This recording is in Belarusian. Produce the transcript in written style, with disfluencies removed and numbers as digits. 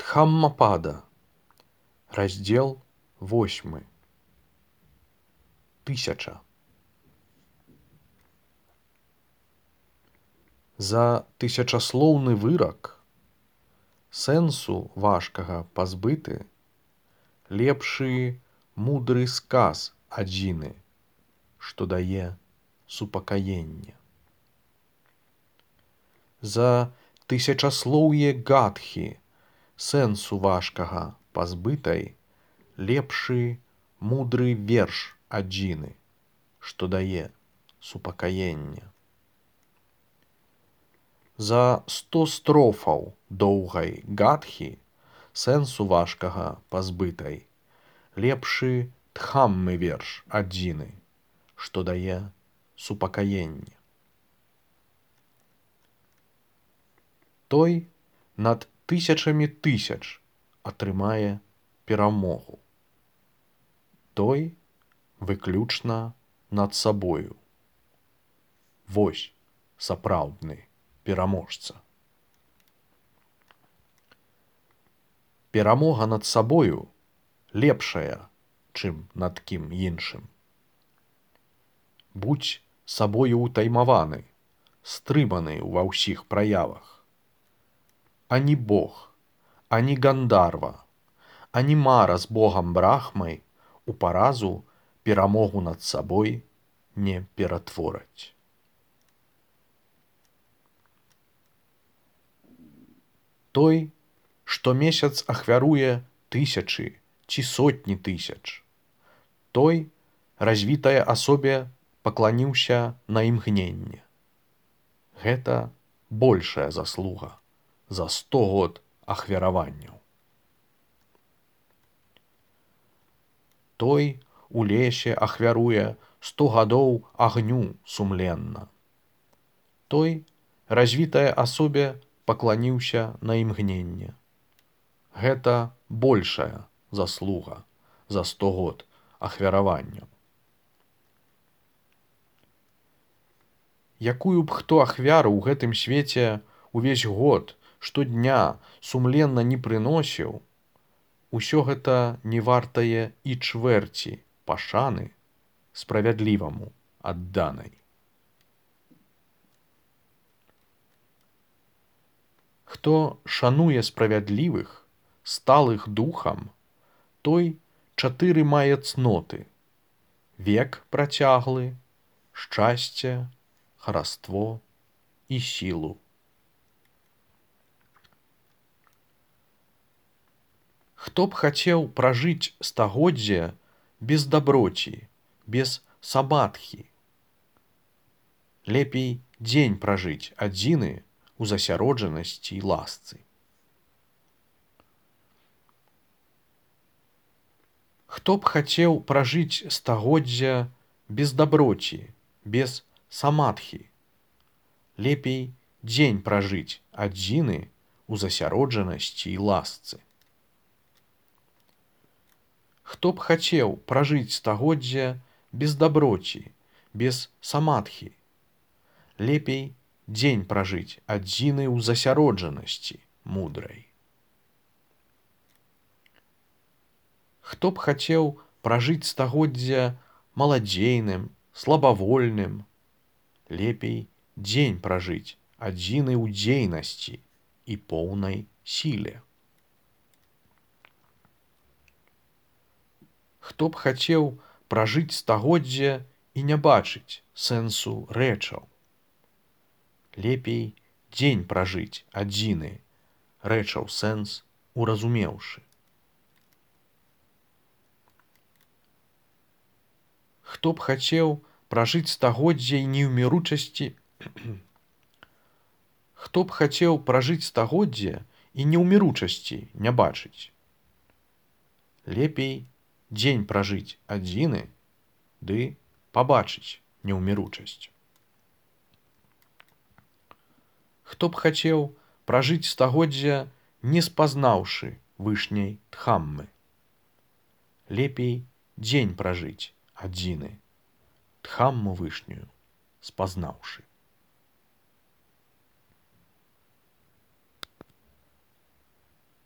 Дхаммапада. Раздел 8. 1000. За тысячаслоўны вырак сэнсу важкага пазбыты, лепшы мудры сказ адзіны, што дае супакаенне. За тысячаслоўе гадхі сэнсу важкага пазбытай, лепшы мудры верш адзіны, што дае супакаенне. За 100 строфаў доўгай гадхі сэнсу важкага пазбытай, лепшы дхаммы верш адзіны, што дае супакаенне. Той над тысячамі тысяч атрымае перамогу. Той выключна над сабою. Вось сапраўдны пераможца. Перамога над сабою лепшая, чым над кім іншым. Будзь сабою ўтаймаваны, стрыманы ва ўсіх праявах. Ані Бог, ані Гандарва, ані мара з Богам Брахмай у паразу перамогу над сабой не ператвораць. Той, што месяц ахвяруе тысячы ці сотні тысяч, той развітая асобе пакланіўся на імгненне. Гэта большая заслуга за 100 год ахвяраванняў. Той у лесе ахвяруе 100 гадоў агню сумленна. Той развітая асобе пакланіўся на імгненне. Гэта большая заслуга за 100 год ахвяраванняў. Якую б хто ахвяру ў гэтым свеце увесь год, штодня сумленна не прыносіў, усё гэта не вартае і чвэрці пашаны справядліваму адданай. Хто шануе справядлівых, сталых духам, той 4 мае цноты: век працяглы, шчасце, хараство і сілу. Хто б хацеў пражыць стагоддзе без даброці, без самадхі? Лепей дзень пражыць адзіны у засяроджанасці і ласцы. Хто б хацеў пражыць стагоддзя без даброці, без самадхі? Лепей дзень пражыць адзіны у засяроджанасці і ласцы. Хто б хацеў пражыць стагоддзя без даброці, без самадхі? Лепей дзень пражыць адзіны ў засяроджанасці мудрай. Хто б хацеў пражыць стагоддзя маладзейным, слабавольным? Лепей дзень пражыць адзіны ў дзейнасці і поўнай сіле. Хто б хацеў пражыць стагоддзе і не бачыць сэнсу рэчаў? Лепей дзень пражыць адзіны, рэчаў сэнс уразумеўшы. Хто б хацеў пражыць стагоддзе і неўміручасці Хто б хацеў пражыць стагоддзе і неўміручасці не бачыць? Лепей дзень пражыць адзіны, ды пабачыць неўміручасць. Хто б хацеў пражыць стагоддзя, не спазнаўшы вышняй дхаммы? Лепей дзень пражыць адзіны, дхамму вышнюю спазнаўшы.